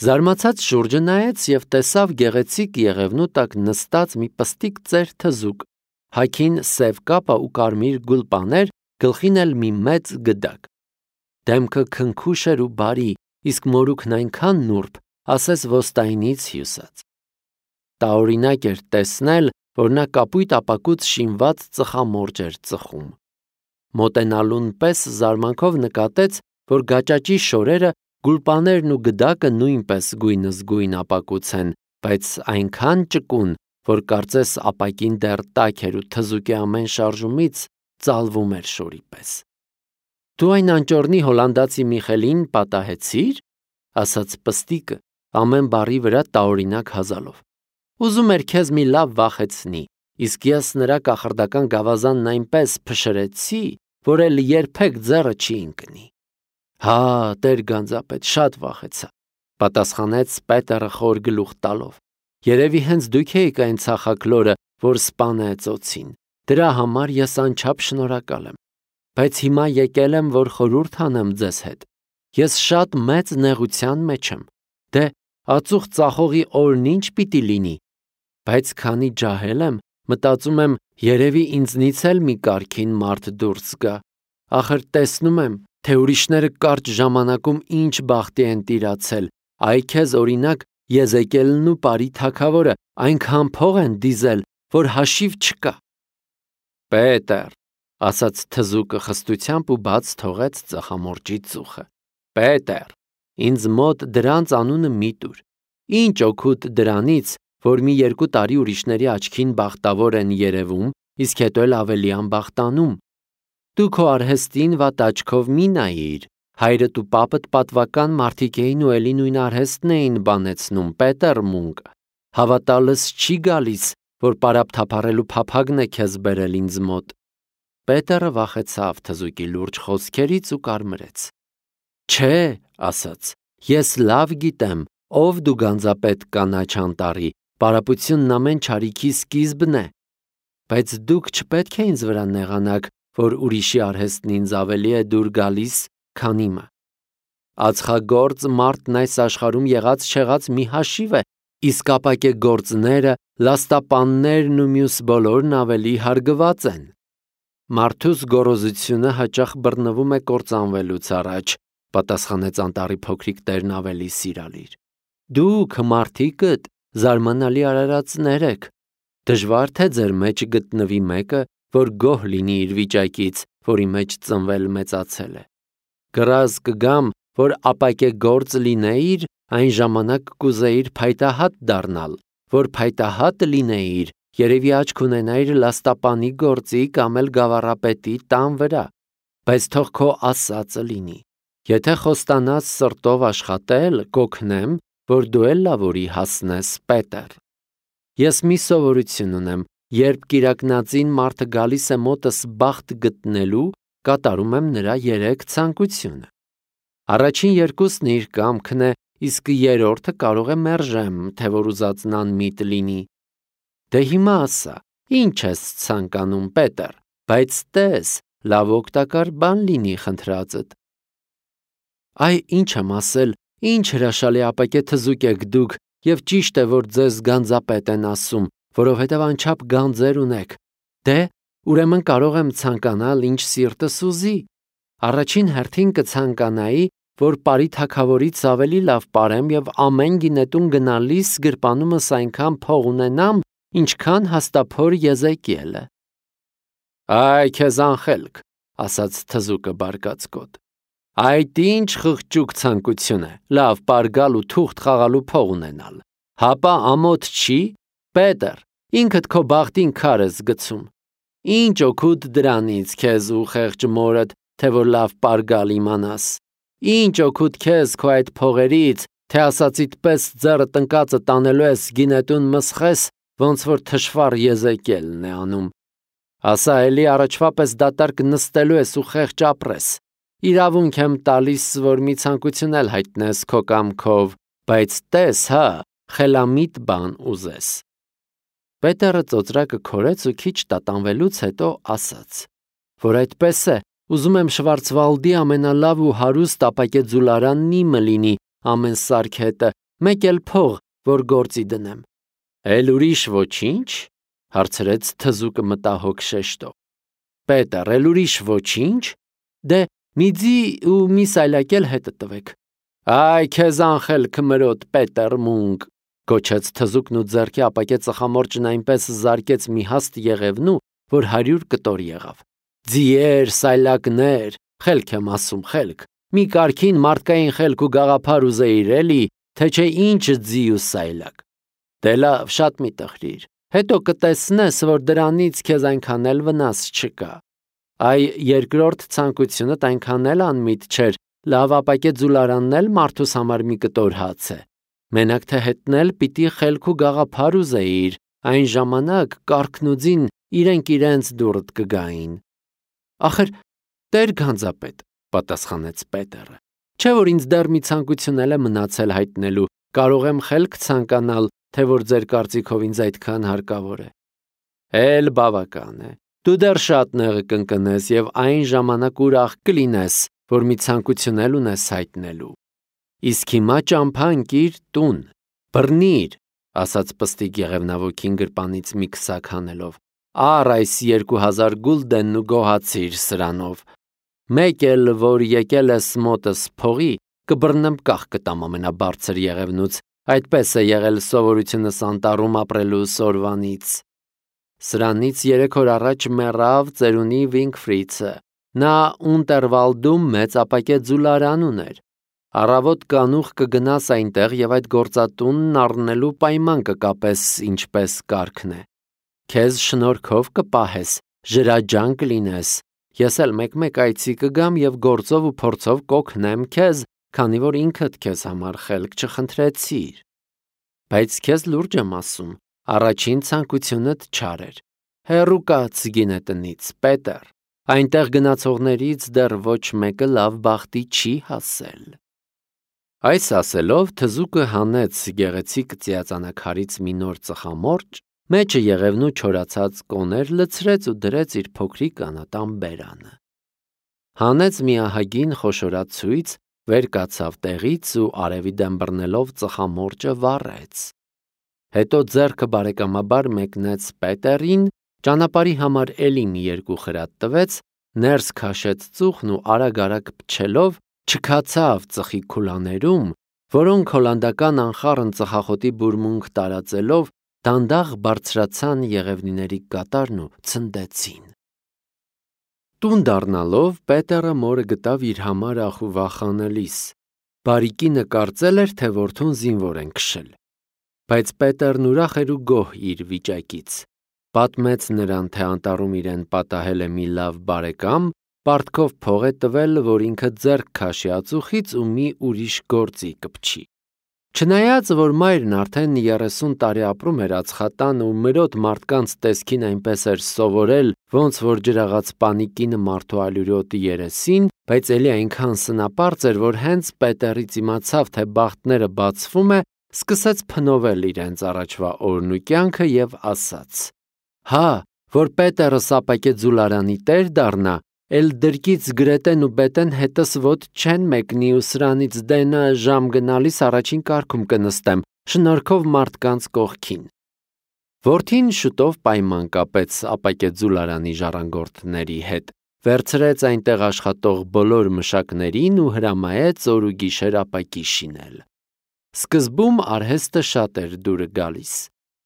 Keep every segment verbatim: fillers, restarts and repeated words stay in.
Զարմացած շուրջը նայեց և տեսավ գեղեցիկ եղևնու տակ նստած մի պստիկ ծեր թզուկ, հագին սև կապա ու կարմիր գուլպաներ, գլխին էլ մի մեծ գդակ։ Դեմքը քնքուշ էր ու բարի, իսկ մորուքն այնքան նուրբ, ասես ոստայնից հյուսած։ Տարօրինակ էր տեսնել, որ նա կապույտ ապակուց շինված ծխամորճ էր ծխում։ Մոտենալուն պես զարմանքով նկատեց, որ գաճաճի շորերը, գուլպաներն ու գդակը նույնպես գույնզգույն ապակուց են, բայց այնքան ճկուն, որ կարծես ապակին դեռ տաք էր ու թզուկի ամեն շարժումից ծալվում էր շորի պես։ Դու այն անճոռնի հոլանդացի Միխելին պատահեցի՞ր, ասաց պստիկը, ամեն բառի վրա տարօրինակ հազալով։ Ուզում էր քեզ մի լավ վախեցնի, իսկ ես նրա կախարդական գավազանն այնպես փշրեցի, որ էլ երբեք ձեռը չի ընկնի։ Հա, տեր գանձապետ, շատ վախեցա, պատասխանեց Պետերը խոր գլուխ տալով։ Երևի հենց դուք էիք այն ցախակլորը, որ սպանեց օձին։ Դրա համար ես անչափ շնորհակալ եմ։ Բայց հիմա եկել եմ, որ խորհուրդ անեմ ձեզ հետ։ Ես շատ մեծ նեղության մեջ եմ։ Դե, ածուխ ծախողի օրն ինչ պիտի լինի։ Բայց քանի ջահել եմ, մտածում եմ, երևի ինձնից էլ մի կարգին մարդ դուրս գա։ Ախր տեսնում եմ, թե ուրիշները կարճ ժամանակում ինչ բախտի են տիրացել, այ քեզ օրինակ Եզեկիելն ու Պարի թագավորը այնքան փող են դիզել, որ հաշիվ չկա։ Պետեր, ասաց թզուկը խստությամբ ու բաց թողեց ծխամորճի ծուխը։ Պետեր, ինձ մոտ դրանց անունը մի տուր։ Ինչ օգուտ դրանից, որ մի երկու տարի ուրիշների աչքին բախտավոր են երևում, իսկ հետո էլ ավելի անբախտանում։ Դու քո արհեստին վատ աչքով մի նայիր, հայրդ ու պապդ պատվական մարդիկ էին ու էլի նույն արհեստն էին բանեցնում, Պետեր Մունկ, հավատալս չի գալիս, որ պարապ թափառելու փափագն է քեզ բերել ինձ մոտ։ Պետերը վախեցավ թզուկի լուրջ խոսքերից ու կարմրեց։ Չէ, ասաց, ես լավ գիտեմ, ով դու գանձապետ կանաչ անտառի, պարապությունն ամեն չարիքի սկիզբն է։ Բայց դուք չպետք է ինձ վրա նեղանաք, որ ուրիշի արհեստն ինձ ավելի է դուր գալիս, քան իմը։ Ածխագործ մարդն այս աշխարհում եղած չեղած մի հաշիվ է, իսկ ապակե գործները, լաստապաններն ու մյուս բոլորն ավելի հարգված են։ Մարդուս գոռոզությունը հաճախ բռնվում է կործանվելուց առաջ, պատասխանեց անտառի փոքրիկ տերն ավելի սիրալիր։ Դուք մարդիկդ զարմանալի արարածներ եք։ Դժվար թե ձեր մեջ գտնվի մեկը, որ գոհ լինի իր վիճակից, որի մեջ ծնվել մեծացել է։ Կռազ կգամ, որ ապակե գործ լինեիր, այն ժամանակ կուզեիր փայտահատ դառնալ, որ փայտահատ լինեիր, երևի աչք ունենայիր լաստապանի գործի կամ էլ գավառապետի տան վրա, բայց թող քո ասածը լինի։ Եթե խոստանաս սրտով աշխատել, կօգնեմ, որ դու էլ լավորի հասնես, Պետեր։ Ես մի սովորություն ունեմ, երբ կիրակնածին մարդը գալիս է մոտս բախտ գտնելու, կատարում եմ նրա երեք ցանկությունը։ Առաջին երկուսն իր կամքն է, իսկ երրորդը կարող է մերժեմ, թե որ ուզածն անմիտ լինի։ Դե հիմա ասա, ինչ ես ցանկանում, Պետեր, բայց տես, լավ օգտակար բան լինի խնդրածդ։ Այ ինչ եմ ասել, ինչ հրաշալի ապակե թզուկ եք դուք, և ճիշտ է, որ ձեզ գանձապետ են ասում, որովհետև անչափ գանձեր ունեք։ Դե, ուրեմն կարող եմ ցանկանալ, ինչ սիրտս ուզի։ Առաջին հերթին կցանկանայի, որ Պարի թագավորից ավելի լավ պարեմ և ամեն գինետուն գնալիս գրպանումս այնքան փող ունենամ, ինչքան հաստափոր Եզեկիելը։ Այ քեզ անխելք, ասաց թզուկը բարկացկոտ։ Այդ ինչ խղճուկ ցանկություն է, լավ պարգալ ու թուղթ խաղալու փող ունենալ։ Հապա ամոթ չի, Պետեր, ինքդ քո բախտին քար ես գցում։ Ինչ օգուտ դրանից քեզ ու խեղճ մորդ, թե որ լավ պարգալ իմանաս։ Ինչ օգուտ քեզ քո այդ փողերից, թե ասածիդ պես ձեռը տնկածը տանելու ես գինետուն մսխես, ոնց որ թշվառ Եզեկիելն է անում։ Ասա էլի առաջվա պես դատարկ նստելու ես ու խեղճ ապրես։ Իրավունք եմ տալիս, որ մի ցանկություն էլ հայտնես քո կամքով, բայց տես, հա, խելամիտ բան ուզես։ Պետերը ծոծրակը քորեց ու քիչ տատանվելուց հետո ասաց, որ այդպես է, ուզում եմ Շվարցվալդի ամենալավ ու հարուստ ապակե ձուլարանն իմը լինի, ամեն սարք հետը, մեկ էլ փող, որ գործի դնեմ։ Էլ ուրիշ ոչինչ, հարցրեց թզուկը մտահոգ շեշտով։ Պետր, էլ ուրիշ ոչինչ, դե մի ձի ու մի սայլակ էլ հետը տվեք։ Այ քեզ անխել քմրոտ Պետր մունք, գոչեց թզուկն ու ձեռքի ապակե ծխամորճն այնպես զարկեց մի հաստ եղևնու, որ հարյուր կտոր եղավ։ Ձիեր, սայլակներ, խելք եմ ասում, խելք, մի կարգին մարդկային խելք ու գաղափար ուզեիր էլի, թե չէ ինչ ձի ու սայլակ։ Դե լավ, շատ մի տխրիր, հետո կտեսնես, որ դրանից քեզ այնքան էլ վնաս չկա։ Այ երկրորդ ցանկությունդ այնքան էլ անմիտ չէր, լավ ապակե ձուլարանն էլ մարդուս համար մի կտոր հաց է։ Մենակ թե հետնել պիտի խելք ու գաղափար ուզեիր, այն ժամանակ կառքնուձին իրենք իրենց դուռդ կգային։ Ախր, տեր գանձապետ, պատասխանեց Պետերը, չէ որ ինձ դեռ մի ցանկություն էլ է մնացել հայտնելու, կարող եմ խելք ցանկանալ, թե որ ձեր կարծիքով ինձ այդքան հարկավոր է։ Էլ բավական է, դու դեռ շատ նեղը կընկնես և այն ժամանակ ուրախ կլինես, որ մի ցանկություն էլ ունես հայտնելու։ Իսկ հիմա ճամփա ընկիր տուն, բռնիր, ասաց պստիկ եղևնավոքին գրպանից մի քսակ հանելով, առ այս երկու հազար գուլդենն ու գոհացիր սրանով։ Մեկ էլ, որ եկել ես մոտս փողի, կբռնեմ կախ կտամ ամենաբարձր եղևնուց, այդպես է եղել սովորությունս անտառում ապրելու սորվանից։ Սրանից երեք օր առաջ մեռավ ծերունի Վինգֆրիցը, նա Ունտերվալդում մեծ ապակե ձուլարան ուներ։ Առավոտ կանուխ կգնաս այնտեղ և այդ գործատունն առնելու պայման կկապես, ինչպես կարգն է։ Քեզ շնորհքով կպահես, ժրաջան կլինես, ես էլ մեկ-մեկ այցի կգամ և գործով ու փորձով կօգնեմ քեզ, քանի որ ինքդ քեզ համար խելք չխնդրեցիր։ Բայց քեզ լուրջ եմ ասում, առաջին ցանկությունդ չար էր։ Հեռու կաց գինետնից, Պետեր, այնտեղ գնացողներից դեռ ոչ մեկը լավ բախտի չի հասել։ Այս ասելով թզուկը հանեց գեղեցիկ ծիածանակարից մի նոր ծխամորճ, մեջը եղևնու չորացած կոներ լցրեց ու դրեց իր փոքրիկ անատան բերանը։ Հանեց մի ահագին խոշորած ցույց, վեր կացավ տեղից ու արևի դեմ բռնելով ծխամորճը վառեց։ Հետո ձեռքը բարեկամաբար մեկնեց Պետերին, ճանապարհի համար էլի մի երկու խրատ տվեց, ներս քաշեց ծուխն ու արագ-արագ փչելով չքացավ ծխի քուլաներում, որոնք հոլանդական անխառն ծխախոտի բուրմունք տարածելով դանդաղ բարձրացան եղևնիների կատարն ու ցնդեցին։ Տուն դառնալով Պետերը մորը գտավ իր համար ախ ու վախանելիս։ Բարիկինը կարծել էր, թե որդուն զինվոր են քշել։ Բայց Պետերն ուրախ էր ու գոհ իր վիճակից։ Պատմեց նրան, թե անտառում իրեն պատահել է մի լավ բարեկամ, պարտքով փող է տվել, որ ինքը ձեռք քաշի ածուխից ու մի ուրիշ գործի կպչի։ Չնայած, որ մայրն արդեն երեսուն տարի ապրում էր ածխատանը ու մրոտ մարդկանց տեսքին այնպես էր սովորել, ոնց որ ջրաղաց պանիկինը մարդու ալյուրոտի երեսին, բայց էլի այնքան սնապարծ էր, որ հենց Պետերից իմացավ, թե բախտները բացվում է, սկսեց փնովել իրենց առաջվա օրն ու կյանքը և ասաց. Հա, որ Պետերը սապակե ձուլարանի տեր դառնա, էլ դրկից գրետեն ու բետեն հետս ոտ չեն մեկնի ու սրանից դենը ժամ գնալիս առաջին կարգում կնստեմ, շնորհքով մարդկանց կողքին։ Որդին շուտով պայման կապեց ապակե ձուլարանի ժառանգորդների հետ, վերցրեց այնտեղ աշխատող բոլոր մշակներին ու հրամայեց օր ու գիշեր ապակի շինել։ Սկզբում արհեստը շատ էր դուրը գալիս։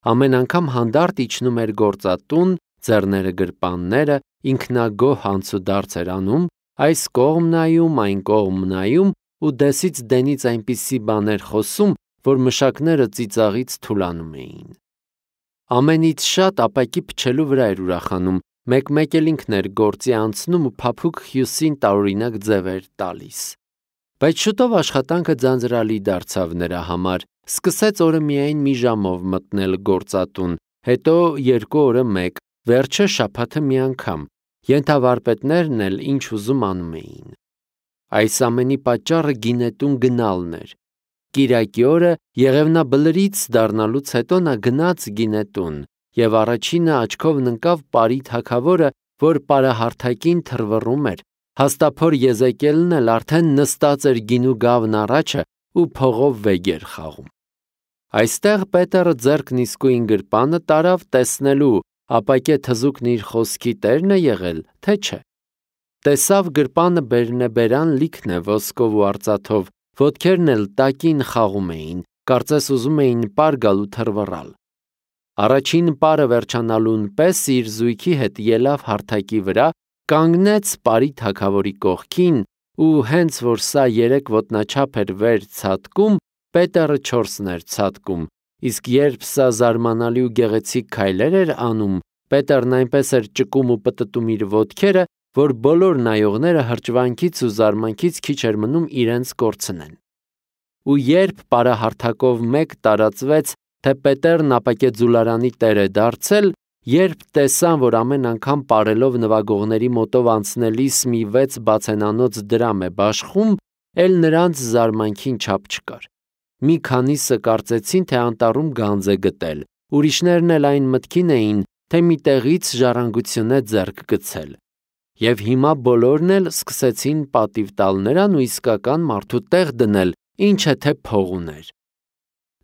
Ամեն անգամ հանդարտ իջնում էր գործատուն, ձեռները գրպանները, ինքնագոհ անցուդարձ էր անում, այս կողմ նայում, այն կողմ նայում ու դեսից դենից այնպիսի բաներ խոսում, որ մշակները ծիծաղից թուլանում էին։ Ամենից շատ ապակի փչելու վրա էր ուրախանում, մեկ-մեկ էլ ինքն էր գործի անցնում ու փափուկ հյուսին տարօրինակ ձև էր տալիս։ Բայց շուտով աշխատանքը ձանձրալի դարձավ նրա համար, սկսեց օրը միայն մի ժամով մտնել գործատուն, հետո երկու օրը մեկ, վերջը շաբաթը մի անգամ, ենթավարպետներն էլ ինչ ուզում անում էին։ Այս ամենի պատճառը գինետուն գնալն էր։ Կիրակի օրը եղևնաբլրից դառնալուց հետո նա գնաց գինետուն և առաջինը աչքով ընկավ Պարի թագավորը, որ պարահարթակին թռվռում էր, հաստափոր Եզեկիելն էլ արդեն նստած էր գինու գավն առաջը ու փողով վեգ էր խաղում։ Այստեղ Պետերը ձեռքն իսկույն գրպանը տարավ տեսնելու, ապակե թզուկն իր խոսքի տերն է եղել, թե չէ։ Տեսավ գրպանը բերնեբերան լիքն է ոսկով ու արծաթով, ոտքերն էլ տակին խաղում էին, կարծես ուզում էին պար գալ ու թռվռալ։ Առաջին պարը վերջանալուն պես իր զույգի հետ ելավ հարթակի վրա, կանգնեց Պարի թագավորի կողքին ու հենց որ սա երեք ոտնաչափ էր վեր ցատկում, Պետերը չորսն էր ցատկում, իսկ երբ սա զարմանալի ու գեղեցիկ քայլեր էր անում, Պետերն այնպես էր ճկում ու պտտում իր ոտքերը, որ բոլոր նայողները հրճվանքից ու զարմանքից քիչ էր մնում իրենց կորցնեն։ Ու երբ պարահարթակով մեկ տարածվեց, թե Պետերն ապակե ձուլարանի տեր է դարձել, երբ տեսան, որ ամեն անգամ պարելով նվագողների մոտով անցնելիս մի վեց բացենանոց դրամ է բաշխում, էլ նրանց զարմանքին չափ չկար։ Մի քանիսը կարծեցին, թե անտառում գանձ է գտել, ուրիշներն էլ այն մտքին էին, թե մի տեղից ժառանգություն է ձեռք գցել։ Եվ հիմա բոլորն էլ սկսեցին պատիվ տալ նրան ու իսկական մարդու տեղ դնել, ինչը թե փող ուներ։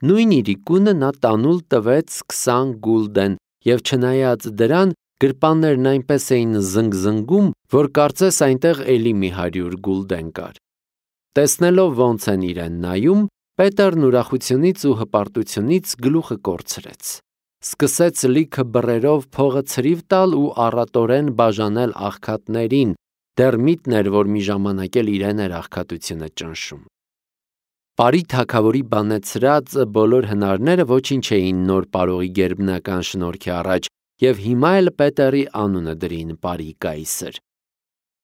Նույն իրիկունը նա տանուլ տվեց քսան գուլդեն, և չնայած դրան, գրպաններն այնպես էին զնգզնգում, որ կարծես այնտեղ էլի մի հարյուր գուլդեն կար։ Տեսնելով ոնց են իրեն նայում, Պետերն ուրախությունից ու հպարտությունից գլուխը կորցրեց։ Սկսեց լիքը բռերով փողը ցրիվ տալ ու առատորեն բաժանել աղքատներին, դեռ միտն էր, որ մի ժամանակ էլ իրեն էր աղքատությունը ճնշում։ Պարի թագավորի բանեցրած բոլոր հնարները ոչինչ էին նոր պարողի գերբնական շնորհքի առաջ, և հիմա էլ Պետերի անունը դրին Պարի կայսր։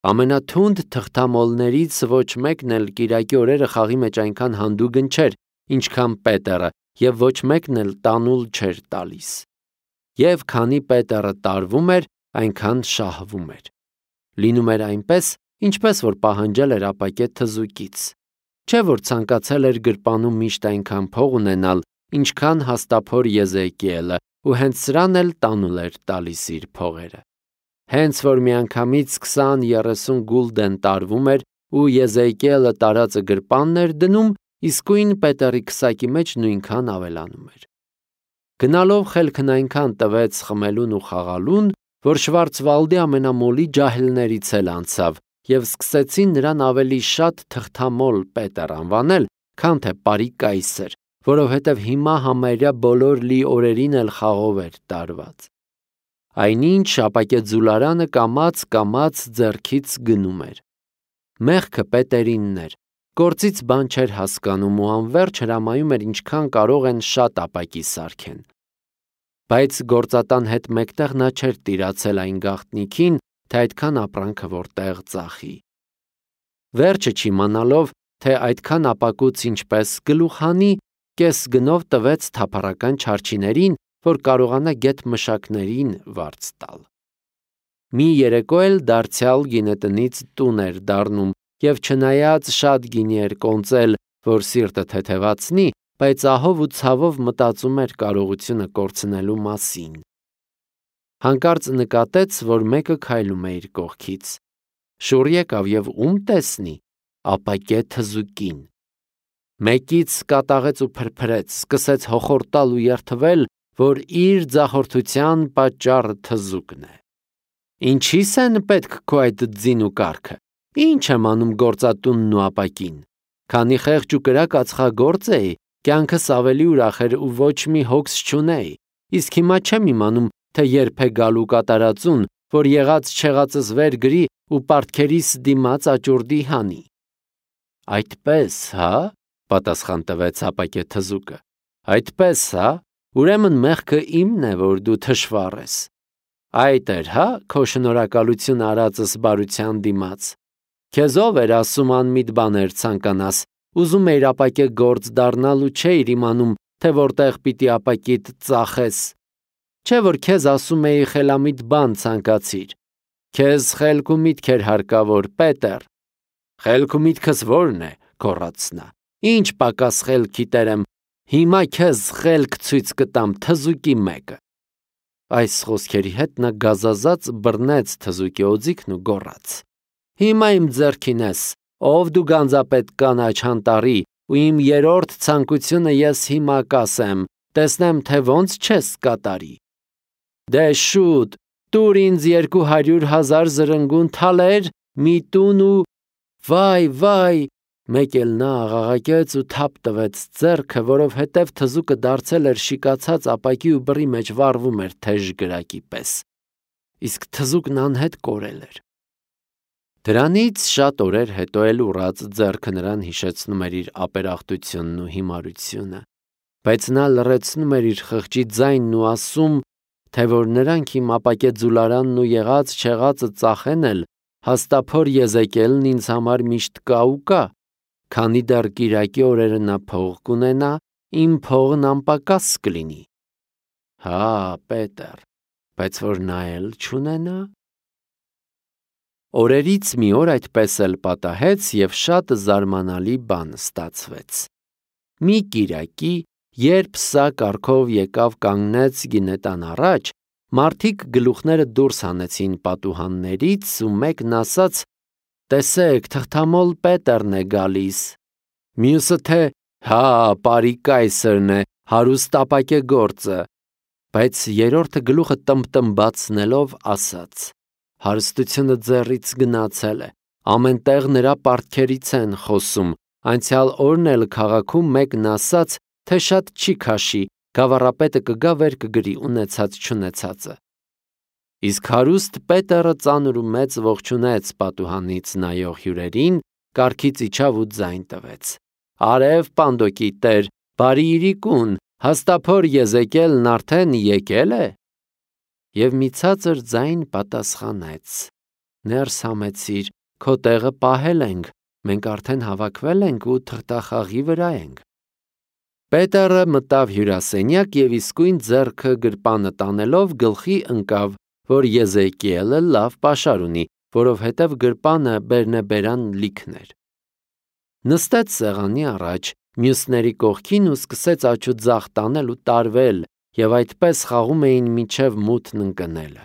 Ամենաթունդ թղթամոլներից ոչ մեկն էլ կիրակի օրերը խաղի մեջ այնքան հանդուգն չէր, ինչքան Պետերը, և ոչ մեկն էլ տանուլ չէր տալիս։ Եվ քանի Պետերը տարվում էր, այնքան շահվում էր։ Լինում էր այնպես, ինչպես որ պահանջել էր ապակե թզուկից։ Չէ որ ցանկացել էր գրպանում միշտ այնքան փող ունենալ, ինչքան հաստափոր Եզեկիելը, ու հենց սրան էլ տանուլ էր տալիս իր փողերը։ Հենց որ միանգամից քսան-երեսուն գուլդեն տարվում էր ու Եզեկիելը տարածը գրպանն էր դնում, իսկույն Պետերի քսակի մեջ նույնքան ավելանում էր։ Գնալով խելքն այնքան տվեց խմելուն ու խաղալուն, որ Շվարցվալդի ամենամոլի ջահելներից էլ անցավ, և սկսեցին նրան ավելի շատ թղթամոլ Պետեր անվանել, քան թե Պարի կայսր, որովհետև հիմա համարյա բոլոր լի օրերին էլ խաղով էր տարված։ Այնինչ ապակե ձուլարանը կամաց-կամաց ձեռքից գնում էր։ Մեղքը Պետերինն էր, գործից բան չէր հասկանում ու անվերջ հրամայում էր ինչքան կարող են շատ ապակի սարքեն։ Բայց գործատան հետ մեկտեղ նա չէր տիրացել այն գաղտնիքին, թե այդքան ապրանքը որտեղ ծախի։ Վերջը չիմանալով, թե այդքան ապակուց ինչպես գլուխ հանի, կես գնով տվեց թափառական չարչիներին, որ կարողանա գետ մշակներին վարձ տալ։ Մի երեկո էլ դարձյալ գինետնից տուն էր դառնում, և չնայած շատ գինի էր կոնծել, որ սիրտը թեթևացնի, բայց ահով ու ցավով մտածում էր կարողությունը կորցնելու մասին։ Հանկարծ նկատեց, որ մեկը քայլում է իր կողքից։ Շուռ եկավ և ում տեսնի, ապակե թզուկին։ Մեկից կատաղեց ու փրփրեց, սկսեց հոխորտալ ու երդվել, որ իր ձախորդության պատճառը թզուկն է։ Ինչի՞ս են պետք քո այդ ձին ու կառքը, ինչ եմ անում գործատունն ու ապակին։ Քանի խեղճ ու կրակ ածխագործ էի, կյանքս ավելի ուրախ էր ու ոչ մի հոգս չունեի, իսկ հիմա չեմ իմանում, թե երբ է գալու կատարածուն, որ եղած չեղածս վեր գրի ու պարտքերիս դիմաց աճուրդի հանի։ Այդպես, հա, պատասխան տվեց ապակե թզուկը։ Այդպես, հա, ուրեմն մեղքը իմն է, որ դու թշվառ ես։ Այդ էր, հա, քո շնորհակալություն արածս բարության դիմաց։ Քեզ ով էր ասում անմիտ բաներ ցանկանաս, ուզում էիր ապակե գործ դառնալ ու չէիր իմանում, թե որտեղ պիտի ապակիդ ծախես։ Չէ որ քեզ ասում էի խելամիտ բան ցանկացիր։ Քեզ խելք ու միտք էր հարկավոր, Պետեր։ Խելք ու միտքս ո՞րն է, գոռաց նա։ Ինչ պակաս խելքի տեր եմ, հիմա քեզ խելք ցույց կտամ, թզուկի մեկը։ Այս խոսքերի հետ նա գազազած բռնեց թզուկի օձիքն ու գոռաց. Հիմա իմ ձեռքին ես, ով դու գանձապետ կանաչ անտառի, ու իմ երրորդ ցանկությունը ես հիմա կասեմ, տեսնեմ, թե ոնց չես կատարի։ Դե շուտ, տուր ինձ երկու հարյուր հազար զրնգուն թալեր, մի տուն ու… Վայ, վայ, մեկ էլ նա աղաղակեց ու թափ տվեց ձեռքը, որովհետև թզուկը դարձել էր շիկացած ապակի ու բռի մեջ վառվում էր թեժ գրակի պես։ Իսկ թզուկն անհետ կորել էր։ Դրանից շատ օրեր հետո էլ ուռած ձեռքը նրան հիշեցնում էր իր ապերախտությունն ու հիմարությունը, բայց նա լռեցնում էր իր խղճի ձայնն ու ասում, թե որ նրանք իմ ապակե ձուլարանն ու եղած չեղածը ծախեն էլ, հաստափոր Եզեկիելն ինձ համար միշտ կա ու կա, քանի դեռ կիրակի օրերը նա փող կունենա, իմ փողն անպակաս կլինի։ Հա, Պետր, բայց որ նա էլ չունենա… Օրերից մի օր այդպես էլ պատահեց և շատ զարմանալի բան ստացվեց։ Մի կիրակի, երբ սա կառքով եկավ կանգնեց գինետան առաջ, մարդիկ գլուխները դուրս հանեցին պատուհաններից ու մեկն ասաց. «Տեսեք, թղթամոլ Պետերն է գալիս», մյուսը թե «Հա, պարի կայսրն է, հարուստ ապակե գործը», բայց երրորդը գլուխը տմբտմբացնելով ասաց. «Հարստությունը ձեռից գնացել է, ամեն տեղ նրա պարտքերից են խոսում, անցյալ օրն էլ քաղաքում մեկն ասաց, թե շատ չի քաշի, գավառապետը կգա վեր կգրի ունեցած չունեցածը»։ Իսկ հարուստ Պետերը ծանր ու մեծ ողջունեց պատուհանից նայող հյուրերին, կառքից իջավ ու ձայն տվեց. «Արև պանդոկի տեր, բարի իրիկուն, հաստափոր Եզեկիելն արդեն եկել է»։ Եվ մի ցածր ձայն պատասխանեց. «Ներս համեցիր, քո տեղը պահել ենք, մենք արդեն հավաքվել ենք ու թղթախաղի վրա ենք»։ Պետերը մտավ հյուրասենյակ և իսկույն ձեռքը գրպանը տանելով գլխի ընկավ, որ Եզեկիելը լավ պաշար ունի, որովհետև գրպանը բերնեբերան լիքն էր։ Նստեց սեղանի առաջ, մյուսների կողքին ու սկսեց աջ ու ձախ տանել ու տարվել, և այդպես խաղում էին մինչև մութն ընկնելը։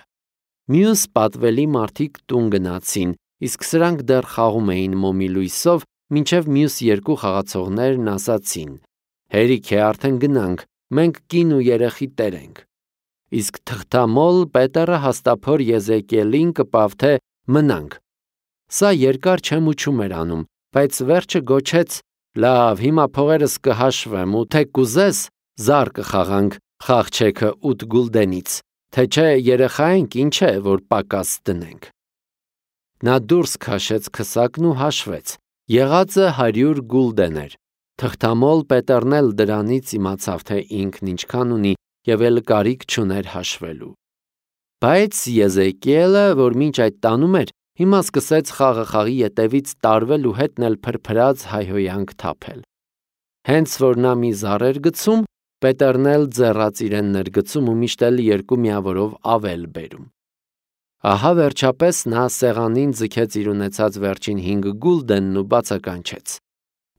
Մյուս պատվելի մարդիկ տուն գնացին, իսկ սրանք դեռ խաղում էին մոմի լույսով, մինչև մյուս երկու խաղացողներն ասացին. «Հերիք է, արդեն գնանք, մենք կին ու երեխի տեր ենք»։ Իսկ թղթամոլ Պետերը հաստափոր Եզեկիելին կպավ, թե մնանք։ Սա երկար չեմուչում էր անում, բայց վերջը գոչեց. «Լավ, հիմա փողերս կհաշվեմ ու թե կուզես, զար կխաղանք խաղչեքը ութ գուլդենից, թե չէ երեխա ենք, ինչ է, որ պակաս դնենք»։ Նա դուրս քաշեց քսակն ու հաշվեց, եղածը հարյուր գուլդեն էր։ Թղթամոլ Պետերն էլ դրանից իմացավ, թե ինքն ինչքան ունի և էլ կարիք չուներ հաշվելու։ Բայց Եզեկիելը, որ մինչ այդ տանում էր, հիմա սկսեց խաղը խաղի ետևից տարվել ու հետն էլ փրփրած հայհոյանք թափել։ Հենց որ նա մի զար էր գցում, Պետերն էլ ձեռած իրեն ներգցում ու միշտ էլ երկու միավորով ավել բերում։ Ահա վերջապես նա սեղանին ձգեց իր ունեցած վերջին հինգ գուլդենն ու բացականչեց.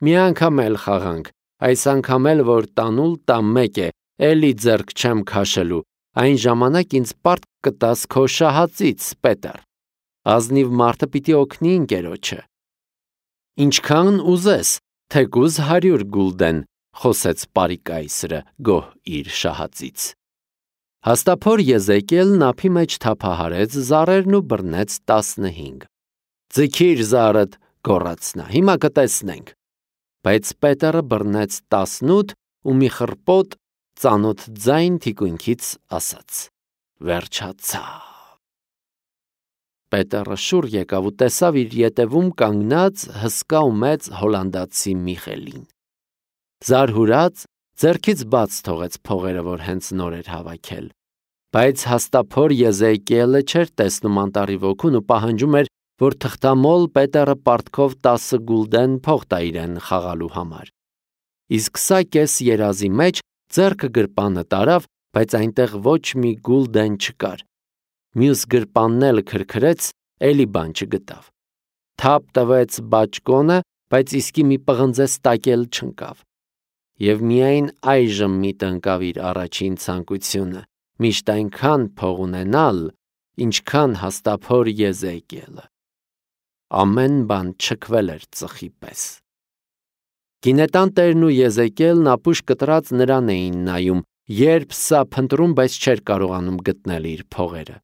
«Մի անգամ էլ խաղանք, այս անգամ էլ որ տանուլ տամ մեկ է, էլի ձեռք չեմ քաշելու, այն ժամանակ ինձ պարտք կտաս քո շահածից, Պետեր։ Ազնիվ մարդը պիտի օգնի ընկերոջը»։ «Ինչքան ուզես, թեկուզ հարյուր գուլդեն», խոսեց պարի կայսրը, գոհ իր շահածից։ Հաստափոր Եզեկիելն ափի մեջ թափահարեց զառերն ու բռնեց տասնհինգ։ «Ձգիր զարդ», գոռաց նա, «հիմա կտեսնենք»։ Բայց Պետերը բռնեց տասնութ ու մի խռպոտ ծանոթ ձայն թիկունքից ասաց. «Վերջացավ»։ Պետերը շուռ եկավ ու տեսավ իր ետևում կանգնած հսկա ու մեծ հոլանդացի Միխելին։ Զարհուրած, ձեռքից բաց թողեց փողերը, որ հենց նոր էր հավաքել։ Բայց հաստափոր Եզեկիելը չէր տեսնում անտառի ոգուն ու պահանջում էր, որ թղթամոլ Պետերը պարտքով տասը գուլդեն փող տա իրեն խաղալու համար։ Իսկ սա կես երազի մեջ ձեռքը գրպանը տարավ, բայց այնտեղ ոչ մի գուլդեն չկար։ Մյուս գրպանն էլ քրքրեց, էլի բան չգտավ։ Թափ տվեց բաճկոնը, բայց իսկի մի պղնձես տակ էլ չընկավ։ Եվ միայն այժմ միտը ընկավ իր առաջին ցանկությունը՝ միշտ այնքան փող ունենալ, ինչքան հաստափոր Եզեկիելը։ Ամեն բան չքվել էր ծխի պես։ Գինետան տերն ու Եզեկիելն ապուշ կտրած նրան էին նայում, երբ սա փնտրում, բայց չէր կարողանում գտնել իր փողերը։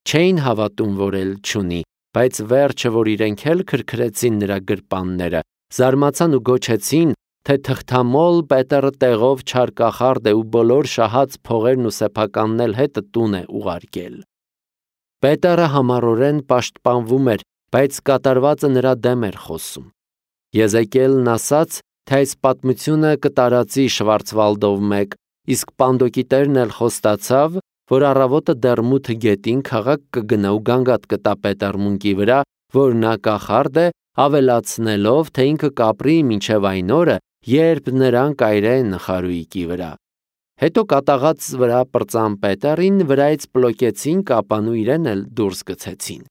Չէին հավատում, որ էլ չունի, բայց վերջը, որ իրենք էլ քրքրեցին նրա գրպանները, զարմացան ու գոչեցին, թե թղթամոլ Պետերը տեղով չարկախարդ է ու բոլոր շահած փողերն ու սեփականն էլ հետը տուն է ուղարկել։ Պետերը համառորեն պաշտպանվում էր, բայց կատարվածը նրա դեմ էր խոսում։ Եզեկիելն ասաց, թե այս պատմությունը կտարածի Շվարցվալդով մեկ, իսկ Պանդոկի տերն էլ խոստացավ, որ առավոտը դեռ մութ գետին քաղաք կգնա ու գանգատ կտա Պետերմունկի վրա, որ նա կախարդ է, ավելացնելով, թե ինքը կապրի մինչև այն օրը, երբ նրան կայրեն խարույկի վրա։ Հետո կատաղած վրա պրծան Պետերին, վրայից պլոկեցին կապան ու իրեն էլ դուրս գցեցին։